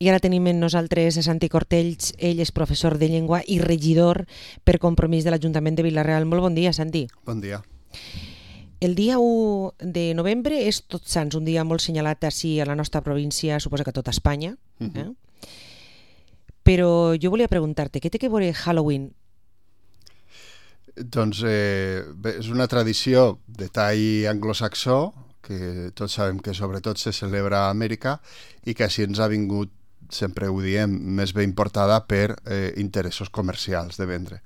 I ara tenim amb nosaltres a Santi Cortells, ell és professor de llengua i regidor per compromís de l'Ajuntament de Vila-real. Molt bon dia, Santi. Bon dia. El dia 1 de novembre és Tots Sants, un dia molt senyalat així a la nostra província, suposo que a tota Espanya. Però jo volia preguntar-te, què té que veure Halloween? Doncs bé, és una tradició de tall anglosaxó, que tots sabem que sobretot se celebra a Amèrica i que així ens ha vingut, sempre ho diem, més ben importada per interessos comercials de vendre.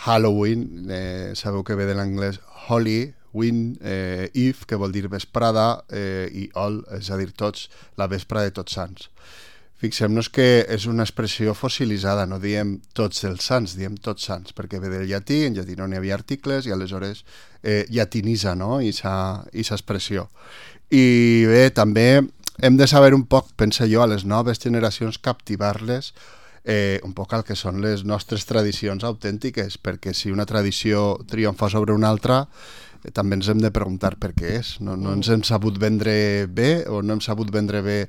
Halloween, sabeu que ve de l'anglès Holy, Win, Eve, que vol dir vesprada, i All, és a dir, tots, la vespra de Tots Sants. Fixem-nos que és una expressió fossilitzada, no diem tots els sants, diem tots sants, perquè ve del llatí, en llatí no n'hi havia articles, i aleshores llatinitza, no?, aquesta expressió. I bé, també hem de saber un poc, penso jo, a les noves generacions, captivar-les un poc al que són les nostres tradicions autèntiques, perquè si una tradició triomfa sobre una altra, també ens hem de preguntar per què és. No ens hem sabut vendre bé o no hem sabut vendre bé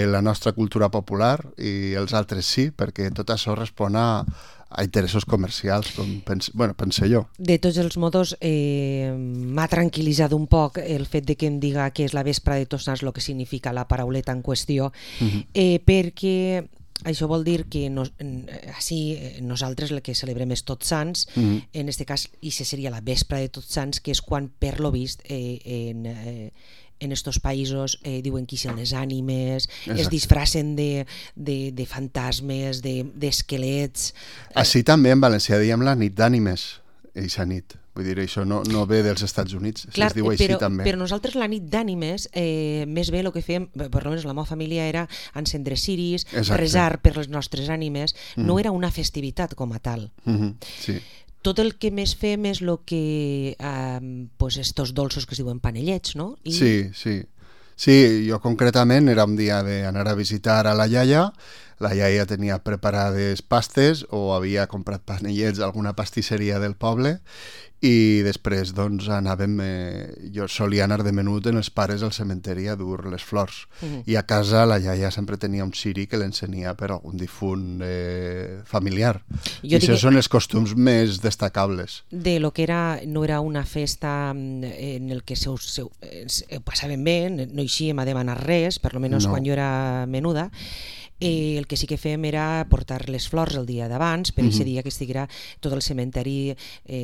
la nostra cultura popular i els altres sí, perquè tot això respon a interessos comercials, com pense jo. De tots els modos, m'ha tranquil·litzat un poc el fet de que em diga que és la vespra de Tots Sants, el que significa la parauleta en qüestió, perquè això vol dir que nosaltres el que celebrem és Tots Sants, en aquest cas, i seria la vespra de Tots Sants, que és quan, per lo vist, en estos països diuen que són les ànimes, es disfracen de fantasmes, d'esquelets. Així també en valencià diem la nit d'ànimes, eixa nit. Vull dir, això no ve dels Estats Units, Clar, es diu així també. Però nosaltres la nit d'ànimes, més bé el que fèiem, per almenys la meva família, era encendre ciris, resar per les nostres ànimes, no era una festivitat com a tal. Sí. Tot el que més fem és el que, estos dolços que es diuen panellets, no? Sí. Sí, jo concretament era un dia d'anar a visitar a la iaia. La iaia tenia preparades pastes o havia comprat panellets a alguna pastisseria del poble i després doncs anàvem, jo solia anar de menut en els pares al cementeri a dur les flors i a casa la iaia sempre tenia un ciri que l'encenia per algun difunt familiar. I això són els costums més destacables. De lo que no era una festa en el que passaven bé, no eixíem a demanar res, per almenys quan jo era menuda. El que sí que fèiem era portar les flors el dia d'abans, per aquest dia que estiguera tot el cementeri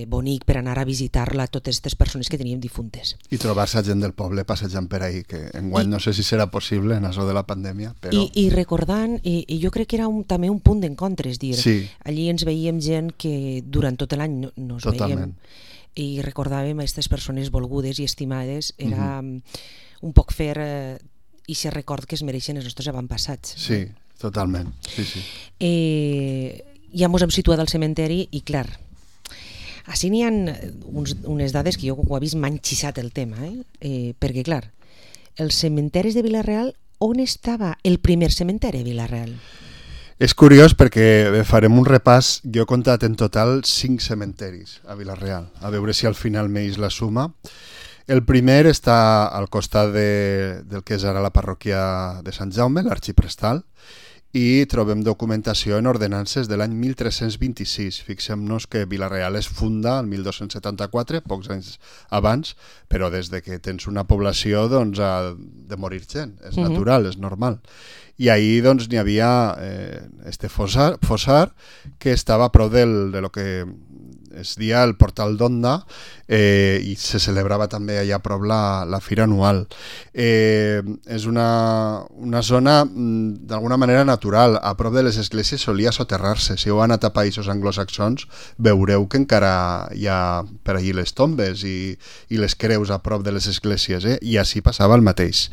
bonic per anar a visitar-la, totes aquestes persones que teníem difuntes. I trobar-se gent del poble passejant per ahí, que enguany no sé si serà possible en això de la pandèmia. Però... I recordant, i jo crec que era també un punt d'encontre, és dir, allí ens veiem gent que durant tot l'any no ens veiem. I recordàvem a aquestes persones volgudes i estimades, era un poc fer i se record que es mereixen els nostres avantpassats. Sí, totalment. Sí. Ja ens hem situat al cementeri i clar, així n'hi ha unes dades que jo ho he vist m'han xissat el tema, perquè clar, els cementaris de Vila-real, on estava el primer cementeri de Vila-real? És curiós perquè farem un repàs, jo he comptat en total 5 cementeris a Vila-real, a veure si al final m'eix la suma. El primer està al costat del que és ara la parròquia de Sant Jaume, l'Arxiprestal, i trobem documentació en ordenances de l'any 1326. Fixem-nos que Vila-real es funda el 1274, pocs anys abans, però des de que tens una població doncs, ha de morir gent, és natural, és normal. I ahir doncs, n'hi havia este fossar que estava a prop de lo que es dia el Portal d'Onda i se celebrava també allà a prop la fira anual. És una zona d'alguna manera natural, a prop de les esglésies solia soterrar-se. Si heu anat a països anglosaxons veureu que encara hi ha per allí les tombes i les creus a prop de les esglésies, i així passava el mateix.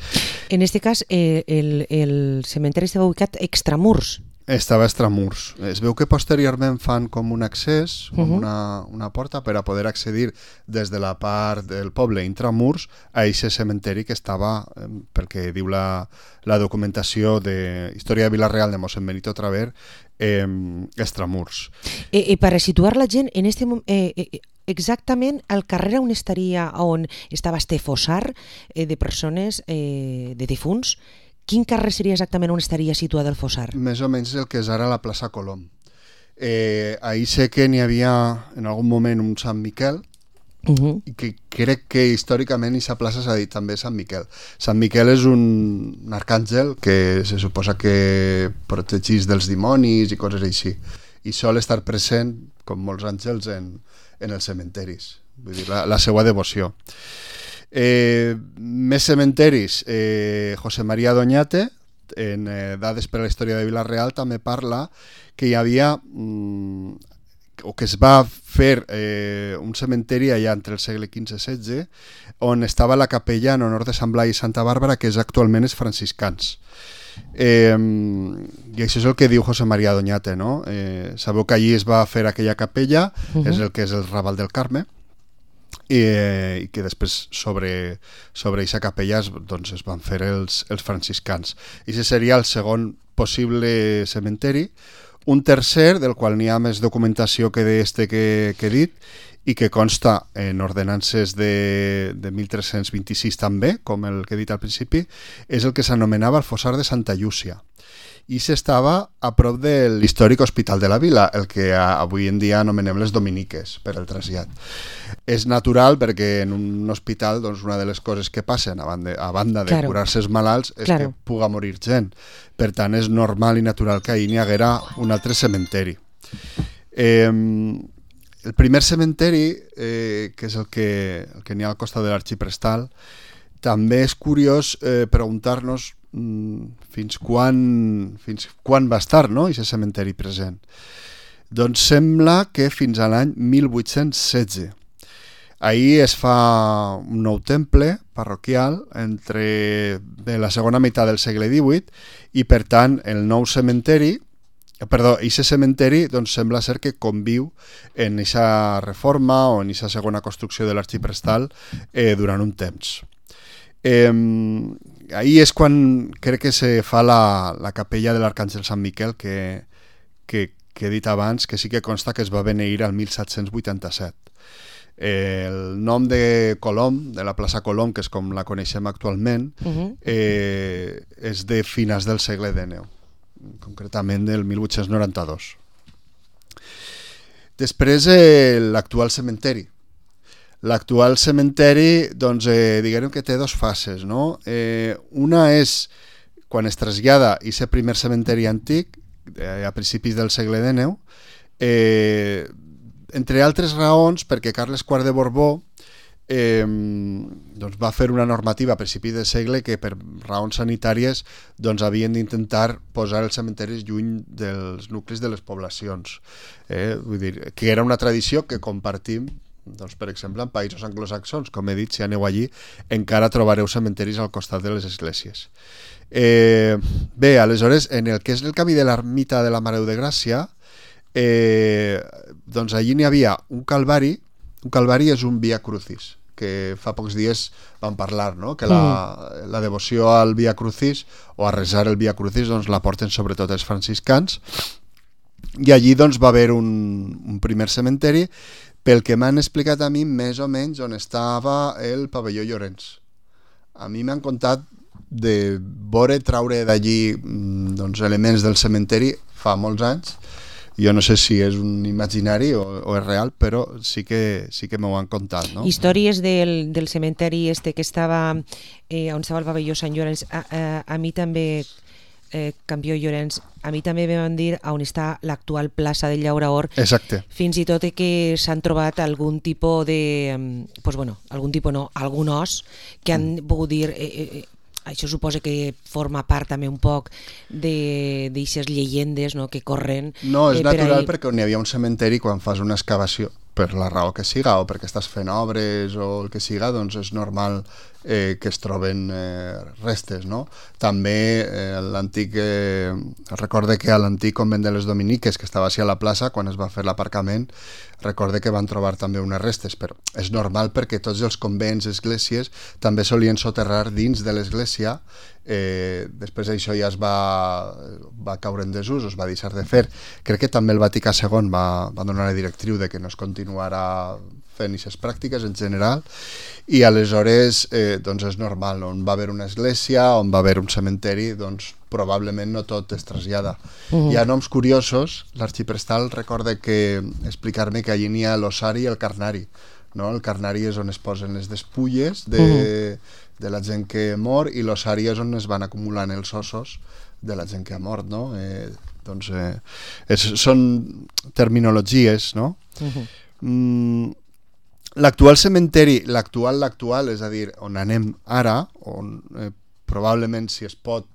En aquest cas el cementeri estava ubicat extramurs. Estava extramurs. Es veu que posteriorment fan com un accés, com una porta per a poder accedir des de la part del poble intramurs a aquest cementeri que estava, perquè diu la documentació de Història de Vila-real de mossèn Benito Traver, extramurs. Per a situar la gent, en este moment, exactament al carrer on estaria, on estava este fossar de persones, de difunts, quin carrer seria exactament on estaria situat el fossar? Més o menys el que és ara la plaça Colom. Ahir sé que n'hi havia en algun moment un Sant Miquel, i que crec que històricament aquesta plaça s'ha dit també Sant Miquel. Sant Miquel és un arcàngel que se suposa que protegeix dels dimonis i coses així, i sol estar present, com molts àngels, en els cementeris, vull dir, la seva devoció. Més cementeris, José María Doñate, en Dades per a la història de Vila-real, també parla que hi havia o que es va fer un cementeri allà entre el segle XV i XVI, on estava la capella en honor de Sant Blai i Santa Bàrbara, que és actualment els franciscans. I això és el que diu José María Doñate, no? Sabeu que allí es va fer aquella capella, és el que és el Raval del Carme, i que després sobre aquesta capella doncs, es van fer els franciscans. I aquest seria el segon possible cementeri. Un tercer, del qual n'hi ha més documentació que d'este que he dit, i que consta en ordenances de 1326 també, com el que he dit al principi, és el que s'anomenava el fossar de Santa Llúcia. I s'estava a prop de l'històric Hospital de la Vila, el que avui en dia anomenem les Dominiques, per el trasllat. És natural perquè en un hospital doncs, una de les coses que passen, a banda de curar-se els malalts, és que puga morir gent. Per tant, és normal i natural que ahir n'hi haguera un altre cementeri. El primer cementeri, que és el que n'hi ha al costat de l'Arxiprestal, també és curiós preguntar-nos fins quan va estar, no?, aquest cementeri present. Doncs sembla que fins a l'any 1816. Ahir es fa un nou temple parroquial entre la segona meitat del segle XVIII i, per tant, el nou cementeri, aquest cementeri doncs, sembla ser que conviu en aquesta reforma o en aquesta segona construcció de l'Arxiprestal durant un temps. Ahir és quan crec que se fa la capella de l'Arcàngel Sant Miquel que he dit abans, que sí que consta que es va beneir al 1787. El nom de Colom, de la plaça Colom, que és com la coneixem actualment, és de finals del segle XIX, concretament del 1892. Després, l'actual cementeri. L'actual cementeri, doncs, diguem que té dues fases, no? Una és quan es trasllada aquest primer cementeri antic, a principis del segle XIX, entre altres raons perquè Carles IV de Borbó doncs va fer una normativa a principis del segle que per raons sanitàries doncs havien d'intentar posar els cementeris lluny dels nuclis de les poblacions. Vull dir, que era una tradició que compartim, doncs, per exemple, en països anglosaxons, com he dit, si aneu allí, encara trobareu cementeris al costat de les esglésies. Bé, aleshores, en el que és el camí de l'ermita de la Mare de Gràcia, doncs allí n'hi havia un calvari. Un calvari és un Via Crucis, que fa pocs dies vam parlar, no? Que la devoció al Via Crucis o a resar el Via Crucis doncs, la porten sobretot els franciscans, i allí doncs, va haver un primer cementeri. Pel que m'han explicat a mi, més o menys on estava el pavelló Llorenç. A mi m'han contat de traure d'allí doncs, elements del cementeri fa molts anys. Jo no sé si és un imaginari o és real, però sí que m'ho han contat, no? Històries del cementeri que estava on estava el pavelló Sant Llorenç. A mi també, Campió Llorenç, a mi també me van dir on està l'actual plaça del Llauraor. Exacte. Fins i tot que s'han trobat algun tipus de... Doncs bueno, algun os que han pogut dir... Això suposa que forma part també un poc d'aixes llegendes, no?, que corren. No, és natural perquè on hi havia un cementeri, quan fas una excavació, per la raó que siga, o perquè estàs fent obres o el que siga, doncs és normal que es troben restes, no? També l'antic... recorde que a l'antic convent de les Dominiques, que estava així a la plaça, quan es va fer l'aparcament, recorde que van trobar també unes restes, però és normal perquè tots els convents, esglésies, també solien soterrar dins de l'església. Després això ja es va caure en desús, es va deixar de fer. Crec que també el Vaticà II va donar la directriu de que no es continuara fent aquestes pràctiques en general, i aleshores doncs és normal, on va haver una església, on va haver un cementeri, doncs probablement no tot es trasllada. Hi ha noms curiosos, l'arxiprestal recorda que explicar-me que allí n'hi ha l'ossari i el carnari, no? El carnari és on es posen les despulles de la gent que mor, i l'ossari és on es van acumulant els ossos de la gent que ha mort, no? Són terminologies, no? L'actual cementeri, l'actual, és a dir, on anem ara, on probablement, si es pot,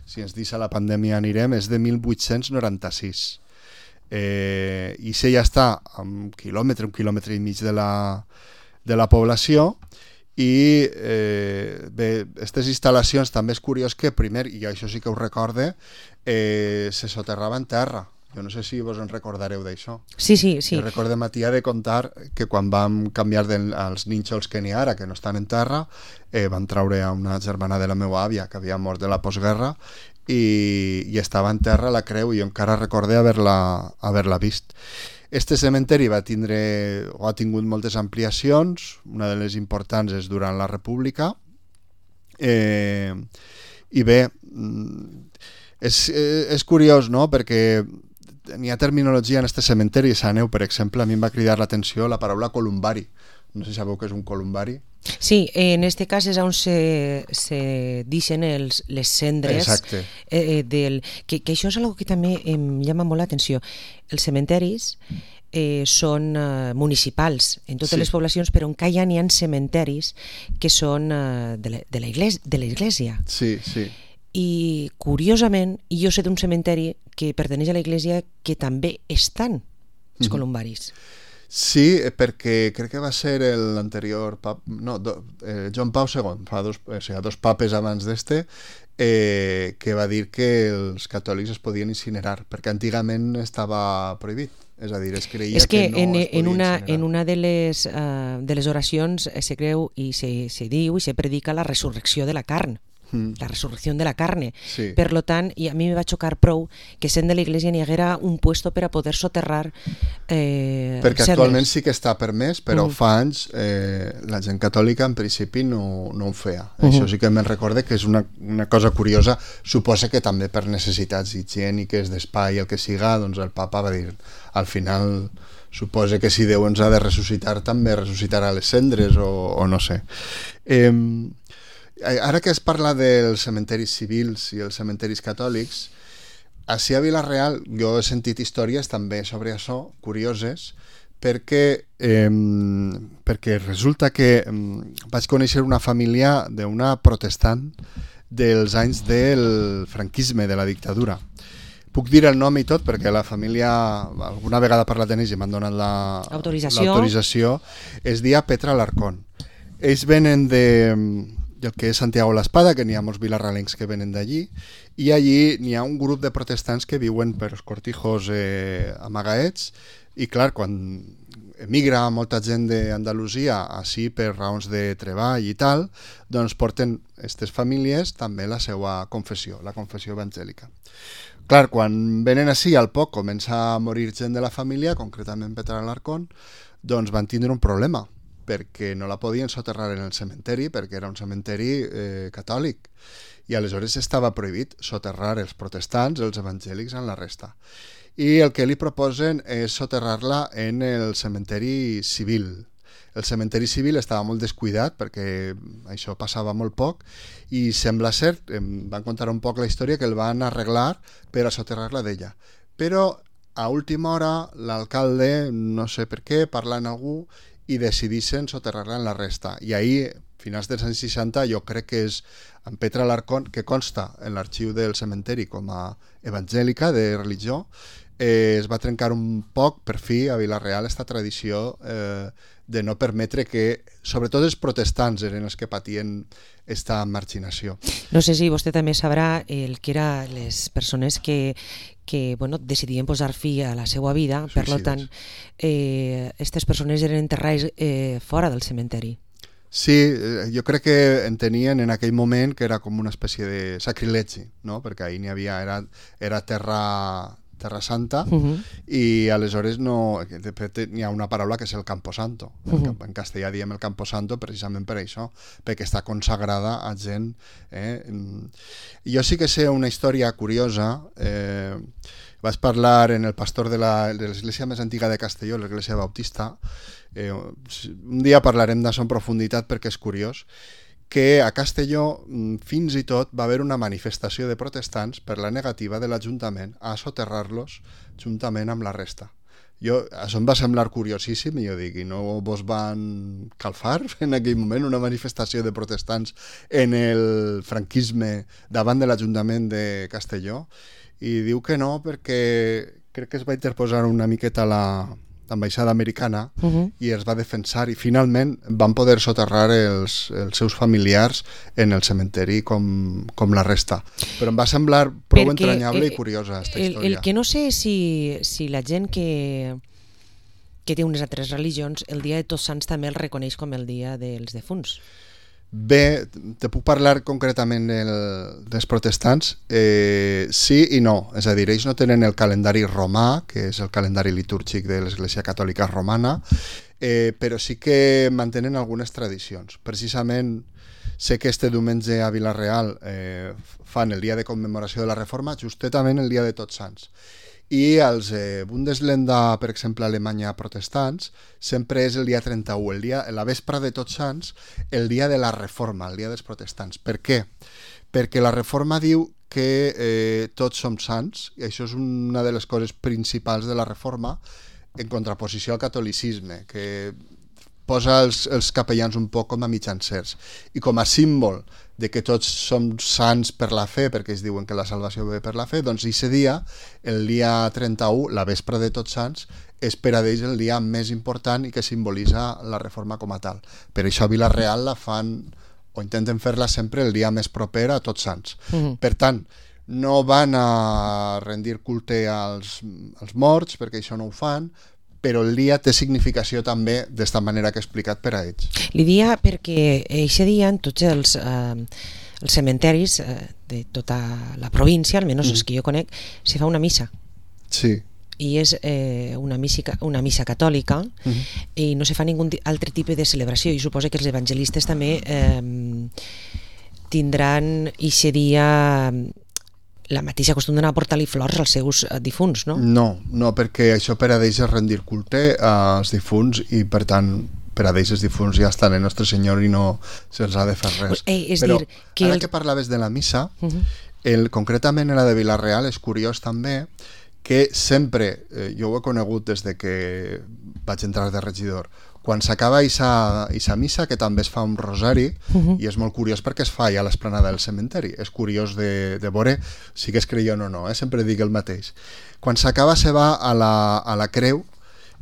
si ens deixa la pandèmia anirem, és de 1896. I si ja està a un quilòmetre i mig de la població, i bé, aquestes instal·lacions també és curiós que primer, i això sí que ho recorde, se soterrava en terra. Jo no sé si vos en recordareu d'això. Sí. Recordem a tia de contar que quan vam canviar els nínxols que n'hi ha ara, que no estan en terra, van traure a una germana de la meva àvia que havia mort de la postguerra i estava en terra la creu, i jo encara recordé haver-la vist. Este cementeri ha tingut moltes ampliacions, una de les importants és durant la República, i bé, és curiós, no?, perquè n'hi ha terminologia en este cementeri. A Neu, per exemple, a mi em va cridar l'atenció la paraula columbari. No sé si sabeu què és un columbari. Sí, en este cas és on se deixen les cendres. Exacte. Que això és algo que també em llama molt l'atenció. Els cementeris són municipals en totes les poblacions, però encara n'hi ha cementeris que són de l'església. Sí. I curiosament, jo sé d'un cementeri que pertaneix a l'església que també estan els columbaris. Sí, perquè crec que va ser l'anterior Joan Pau II, dos papes abans d'este, que va dir que els catòlics es podien incinerar, perquè antigament estava prohibit. És a dir, es creia que no es podia incinerar. En una de les oracions se creu i se diu i se predica la resurrecció de la carn. La resurrecció de la carne. Sí. Per lo tant, i a mi me va xocar prou que sent de l'església n'hi haguera un puesto per a poder soterrar perquè actualment sí que està permès, però fa anys la gent catòlica en principi no ho feia. Això sí que me'n recorde que és una cosa curiosa. Suposa que també per necessitats higièniques, d'espai, el que siga, doncs el papa va dir, al final suposa que si Déu ens ha de ressuscitar, també ressuscitarà les cendres, o no sé. Ara que es parla dels cementeris civils i els cementeris catòlics, ací a Vila-real jo he sentit històries també sobre això, curioses, perquè resulta que vaig conèixer una família d'una protestant dels anys del franquisme, de la dictadura. Puc dir el nom i tot perquè la família alguna vegada ha parlat en ells i m'han donat l'autorització. Es dia Petra Alarcón. Ells venen del que és Santiago l'Espada, que n'hi ha molts vilarralencs que venen d'allí, i allí n'hi ha un grup de protestants que viuen per els cortijos amagaets, i clar, quan emigra molta gent d'Andalusia així per raons de treball i tal, doncs porten aquestes famílies també la seva confessió, la confessió evangèlica. Clar, quan venen així, al poc comença a morir gent de la família, concretament Petra Alarcón, doncs van tindre un problema, perquè no la podien soterrar en el cementeri, perquè era un cementeri catòlic, i aleshores estava prohibit soterrar els protestants, els evangèlics, en la resta. I el que li proposen és soterrar-la en el cementeri civil. El cementeri civil estava molt descuidat perquè això passava molt poc, i sembla ser, em van contar un poc la història, que el van arreglar per a soterrar-la d'ella. Però a última hora l'alcalde, no sé per què, parla amb algú i decidissin soterrar-la en la resta. I ahir, finals dels anys 60, jo crec que és en Petra Alarcón, que consta en l'arxiu del cementeri com a evangèlica de religió, es va trencar un poc, per fi, a Vila-real, aquesta tradició de no permetre que, sobretot els protestants, eren els que patien esta marginació. No sé si vostè també sabrà el que eren les persones que decidien posar fi a la seva vida, per tant, aquestes persones eren enterrades fora del cementeri. Sí, jo crec que entenien en aquell moment que era com una espècie de sacrilegi, no? Perquè ahir n'hi havia, era terra Terra Santa, i aleshores no, de fet hi ha una paraula que és el Camposanto. En castellà diem el Camposanto precisament per això, perquè està consagrada a gent. Jo sí que sé una història curiosa. Vaig parlar en el pastor de l'església més antiga de Castelló, l'església bautista. Un dia parlarem d'això en profunditat perquè és curiós, que a Castelló fins i tot va haver una manifestació de protestants per la negativa de l'Ajuntament a soterrar-los juntament amb la resta. Això em va semblar curiosíssim i jo dic, i no vos van calfar en aquell moment una manifestació de protestants en el franquisme davant de l'Ajuntament de Castelló? I diu que no, perquè crec que es va interposar una miqueta l'ambaixada americana i es va defensar i finalment van poder soterrar els seus familiars en el cementeri com la resta. Però em va semblar prou entranyable i curiosa aquesta història. El que no sé és si la gent que té unes altres religions el dia de Tots Sants també el reconeix com el dia dels defunts. Bé, te puc parlar concretament dels protestants? Sí i no. És a dir, ells no tenen el calendari romà, que és el calendari litúrgic de l'Església Catòlica Romana, però sí que mantenen algunes tradicions. Precisament sé que este diumenge a Vila-real fan el dia de commemoració de la Reforma, justament el dia de Tots Sants. I els Bundesländer, per exemple, a Alemanya protestants, sempre és el dia 31, la vespra de Tots Sants, el dia de la Reforma, el dia dels protestants. Per què? Perquè la Reforma diu que tots som sants, i això és una de les coses principals de la Reforma, en contraposició al catolicisme, que posa els capellans un poc com a mitjancers. I com a símbol de que tots som sants per la fe, perquè es diuen que la salvació ve per la fe, doncs aquest dia, el dia 31, la vespra de Tots Sants, és per a ells el dia més important i que simbolitza la Reforma com a tal. Per això a Vila-real la fan, o intenten fer-la sempre el dia més proper a Tots Sants. Per tant, no van a rendir culte als morts, perquè això no ho fan, però el dia té significació també d'esta manera que he explicat per a ells. Li dia perquè aquest dia en tots els cementeris de tota la província, almenys els que jo conec, se fa una missa. Sí. I és una missa catòlica i no se fa ningun altre tipus de celebració, i suposo que els evangelistes també tindran aquest dia la mateixa costum d'anar a portar-li flors als seus difunts, no? No, perquè això per a ells és rendir culte als difunts i per tant per a ells els difunts ja estan en Nostre Senyor i no se'ls ha de fer res. Però ara que parlaves de la missa, concretament en la de Vila-real és curiós també que sempre, jo ho he conegut des de que vaig entrar de regidor, quan s'acaba aquesta missa, que també es fa un rosari, i és molt curiós perquè es fa ja a l'esplanada del cementeri, és curiós de veure si que es creient o no, sempre dic el mateix. Quan s'acaba se va a la creu,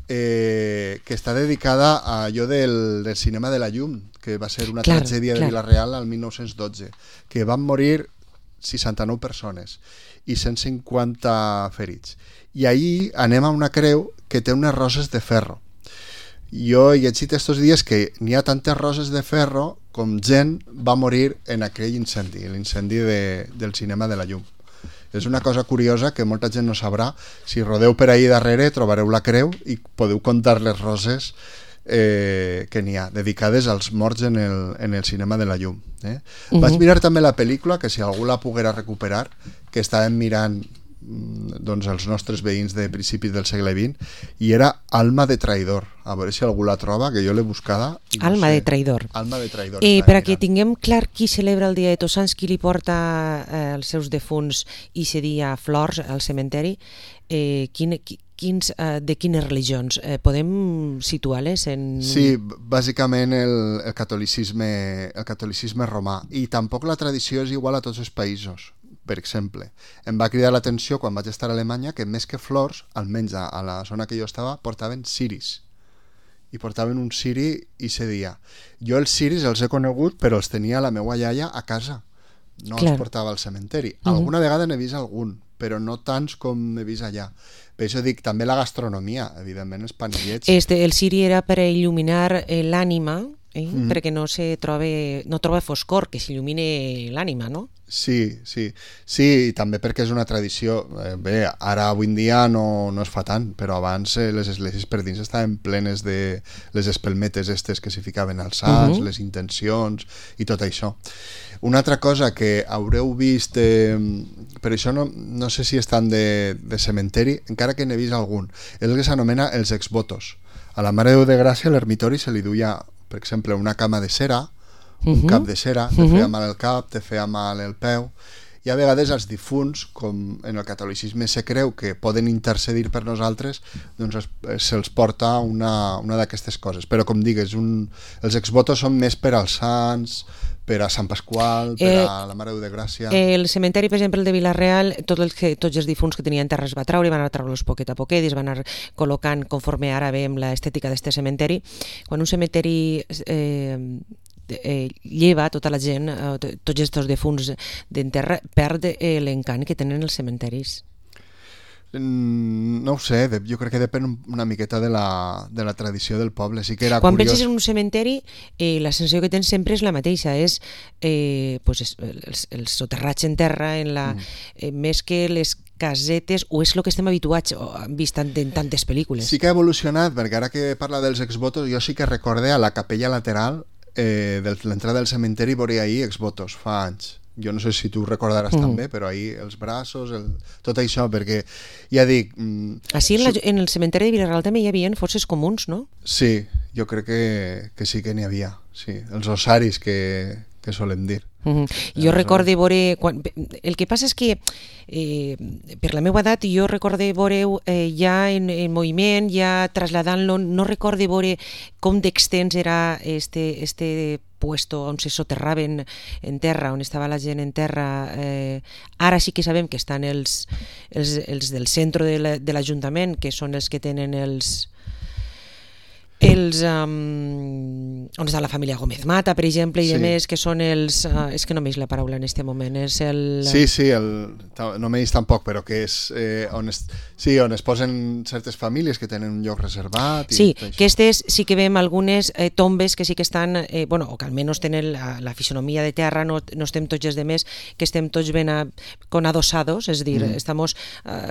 que està dedicada a allò del cinema de la llum, que va ser una tragèdia de Vila-real al 1912, que van morir 69 persones i 150 ferits. I ahir anem a una creu que té unes roses de ferro. Jo he llegit estos dies que n'hi ha tantes roses de ferro com gent va morir en aquell incendi, l'incendi del cinema de la llum. És una cosa curiosa que molta gent no sabrà. Si rodeu per ahir darrere trobareu la creu i podeu comptar les roses que n'hi ha, dedicades als morts en el cinema de la llum. Vaig mirar també la pel·lícula, que si algú la poguera recuperar, que estàvem mirant doncs, els nostres veïns de principis del segle XX, i era Alma de traïdor. A veure si algú la troba, que jo l'he buscada. Alma de traïdor. Alma de traïdor. Per a que tinguem clar qui celebra el dia de Tots Sants, qui li porta els seus defunts i aquest dia flors al cementeri, de quines religions? Podem situar-les en... Sí, bàsicament el catolicisme romà, i tampoc la tradició és igual a tots els països. Per exemple, em va cridar l'atenció quan vaig estar a Alemanya que més que flors, almenys a la zona que jo estava, portaven ciris. I portaven un ciri aquest dia. Jo els ciris els he conegut, però els tenia la meva iaia a casa. No els portava al cementeri. Alguna vegada n'he vist algun, però no tants com he vist allà. Per això dic, també la gastronomia, evidentment, els panellets. El ciri era per il·luminar l'ànima perquè no troba foscor que s'il·lumine l'ànima, no? Sí, i també perquè és una tradició. Bé, ara avui en dia no es fa tant, però abans les esglésies per dins estaven plenes de les espelmetes estes que s'hi ficaven als sants, les intencions i tot això. Una altra cosa que haureu vist, per això no sé si estan de cementeri, encara que n'he vist algun, és el que s'anomena els exvotos. A la Mare de Déu de Gràcia a l'ermitori se li duia, per exemple, una cama de cera, un cap de cera, te feia mal el cap, te feia mal el peu, i a vegades els difunts, com en el catolicisme se creu que poden intercedir per nosaltres, doncs se'ls porta una d'aquestes coses. Però com digues, els exvotos són més per als sants, per a Sant Pasqual, per a la Mare de Déu de Gràcia. El cementeri, per exemple, el de Vila-real, tots els difunts que tenien terra es va treure, van anar a treure-los poquet a poquet, i es van anar col·locant conforme ara veiem l'estètica d'este cementeri. Quan un cementeri lleva tota la gent, tots aquests difunts d'enterra, perd l'encant que tenen els cementeris. No ho sé, jo crec que depèn una miqueta de la tradició del poble. Sí que era quan curiós. Penses en un cementeri, la sensació que tens sempre és la mateixa, és el soterratge en terra, més que les casetes, o és el que estem habituats, vist en tantes pel·lícules. Sí que ha evolucionat, perquè ara que parla dels exvotos, jo sí que recordé a la capella lateral de l'entrada del cementeri, veuré ahir exvotos, fa anys. Jo no sé si tu recordaràs també, però ahir els braços, tot això, perquè ja dic... Així en el cementeri de Vila-real també hi havia fosses comuns, no? Sí, jo crec que sí que n'hi havia, sí, els ossaris que solem dir. Jo recorde veure... El que passa és que per la meva edat jo recorde veure ja en moviment, ja traslladant-lo, no recorde veure com d'extens era este puesto on se soterraven en terra, on estava la gent en terra. Ara sí que sabem que estan els del centre de l'Ajuntament, que són els que tenen on està la família Gómez Mata, per exemple, i més, que són els... és que no m'eix la paraula en aquest moment, és el... Sí, no m'eix tampoc, però que és on es posen certes famílies que tenen un lloc reservat. Sí, que aquestes sí que veiem algunes tombes que sí que estan, o que almenys tenen la fisonomia de terra, no estem tots els demés, que estem tots ben con adosados, és dir, estamos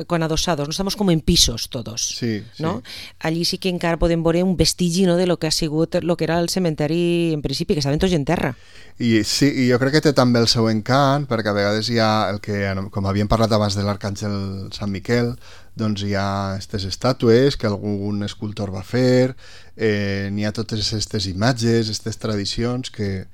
con adosados, no estamos como en pisos todos, ¿no? Allí sí que encara podem veure un vestigi, no, de lo que ha sigut lo que era el cementeri en principi, que estaven tots en terra. I sí, i jo crec que té també el seu encant, perquè a vegades hi ha el que, com havíem parlat abans de l'Arcàngel Sant Miquel, doncs hi ha aquestes estàtues que algun escultor va fer, n'hi ha totes aquestes imatges, aquestes tradicions que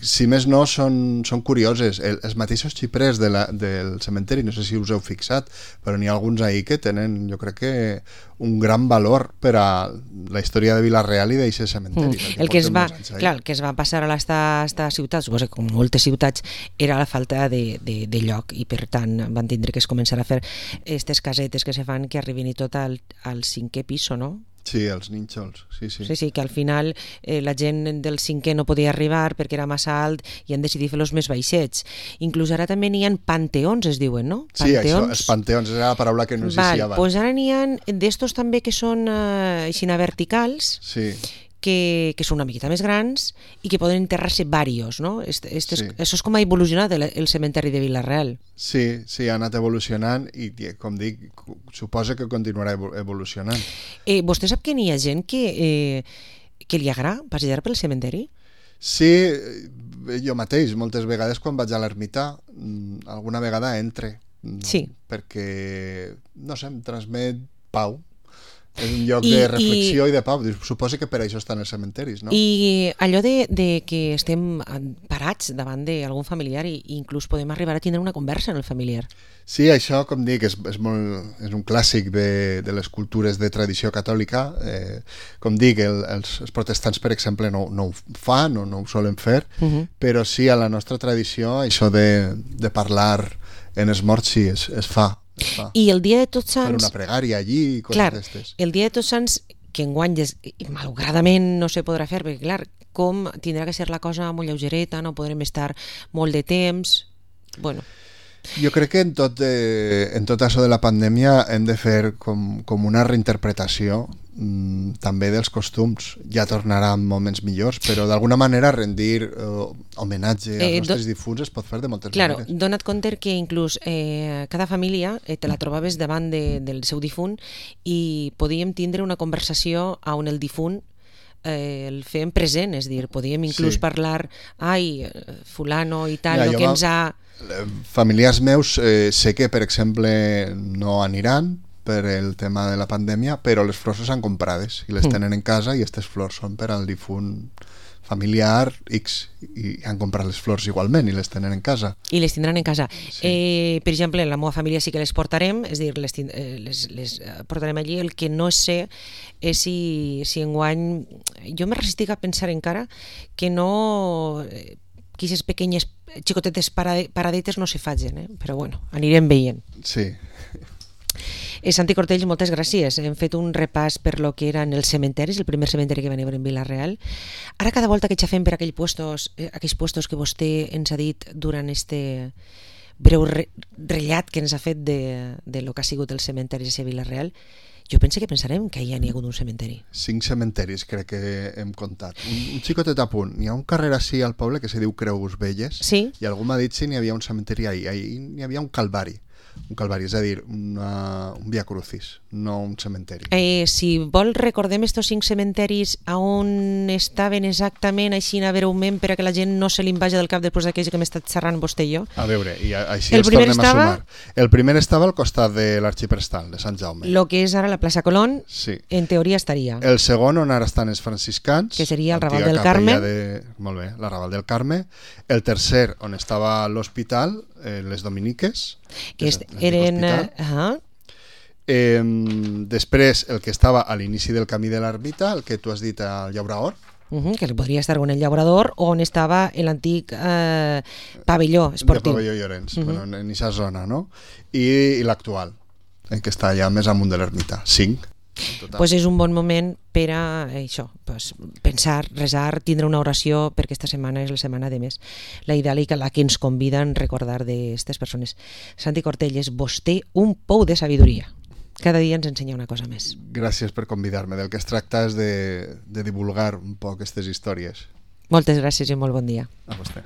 si més no són curioses. Els mateixos xiprers del cementeri, no sé si us heu fixat, però n'hi ha alguns ahí que tenen, jo crec que, un gran valor per a la història de Vila-real i d'aquest cementeri. El que es va passar a l'esta ciutat, suposo que com moltes ciutats, era la falta de lloc, i per tant van tindre que es començar a fer aquestes casetes que se fan que arribin i tot al 5è pis, no? Sí, els nínxols, sí. Sí, que al final la gent del 5è no podia arribar perquè era massa alt i han decidit fer-los més baixets. Inclús ara també n'hi ha panteons, es diuen, no? Sí, això, els panteons, és la paraula que no existia abans. Doncs ara n'hi ha d'estos també que són així verticals, que són una miqueta més grans i que poden enterrar-se varios, no? Això és com ha evolucionat el cementeri de Vila-real. Sí, ha anat evolucionant i, com dic, suposa que continuarà evolucionant. Vostè sap que n'hi ha gent que li agrada passejar pel cementeri? Sí, jo mateix, moltes vegades quan vaig a l'ermita, alguna vegada entre. Sí. Perquè, no sé, em transmet pau. És un lloc de reflexió i de pau. Suposo que per això estan els cementeris, no? I allò de que estem parats davant d'algun familiar i inclús podem arribar a tindre una conversa en el familiar. Sí, això, com dic, és un clàssic de les cultures de tradició catòlica. Com dic, els protestants, per exemple, no ho fan o no ho solen fer, però sí, a la nostra tradició, això de parlar en els morts sí, es fa. I el dia de Tots Sants... Per una pregària allí i coses d'aquestes. El dia de Tots Sants, que enguany malauradament no se podrà fer, perquè clar, com tindrà que ser la cosa molt lleugereta, no podrem estar molt de temps... Bueno... Jo crec que en tot això de la pandèmia hem de fer com una reinterpretació també dels costums. Ja tornarà en moments millors, però d'alguna manera rendir homenatge als nostres difunts es pot fer de moltes maneres. Dona't compte que inclús cada família te la trobaves davant del seu difunt i podíem tindre una conversació on el difunt el fem present, és dir, podíem inclús parlar, fulano i tal, el que ens ha... Familiars meus sé que, per exemple, no aniran per el tema de la pandèmia, però les flors s'han comprades i les tenen en casa i aquestes flors són per al difunt familiar X i han comprat les flors igualment i les tenen en casa. I les tindran en casa. Sí. Per exemple, en la meva família sí que les portarem, és dir, les portarem allí. El que no sé és si enguany... Jo me resistic a pensar encara que no... que aquestes pequeñes xicotetes paradetes no se facin, però bueno, anirem veient. Sí. Santi Cortells, moltes gràcies. Hem fet un repàs per lo que eren els cementeris, el primer cementeri que va haver en Vila-real. Ara cada volta que xafem per aquells puestos que vostè ens ha dit durant este breu rellat que ens ha fet de lo que ha sigut el cementeri de Vila-real, jo pense que pensarem que hi ha hagut un cementeri. 5 cementeris crec que hem comptat. Un xicotet a punt. Hi ha un carrer així al poble que se diu Creus Velles, sí? I algú m'ha dit si n'hi havia un cementeri ahir. Ahir n'hi havia un calvari, és a dir, un via crucis, no un cementeri. Si vol, recordem estos 5 cementeris on estaven exactament, així breument, per a que la gent no se li vagi del cap després d'aquells que hem estat xerrant vostè i jo. A veure, i així els tornem a sumar. El primer estava al costat de l'Arxiprestal, de Sant Jaume. Lo que és ara la plaça Colón, sí. En teoria estaria. El segon, on ara estan els franciscans, que seria el Raval del Carme. Molt bé, la Raval del Carme. El tercer, on estava l'hospital, les Dominiques, que eren... Després, el que estava a l'inici del camí de l'Ermita, el que tu has dit al Llaurador, que podria estar en el Llaurador, on estava l'antic pavelló esportiu. De pavelló Llorenç, en aquesta zona, no? I l'actual, que està allà més amunt de l'Ermita, 5. Pues és un bon moment per a això, pues, pensar, resar, tindre una oració, perquè aquesta setmana és la setmana de més la idàlica, la que ens conviden a recordar d'aquestes persones. Santi Cortells, vostè un pou de sabidoria. Cada dia ens ensenya una cosa més. Gràcies per convidar-me. Del que es tracta és de divulgar un poc aquestes històries. Moltes gràcies i molt bon dia. A vostè.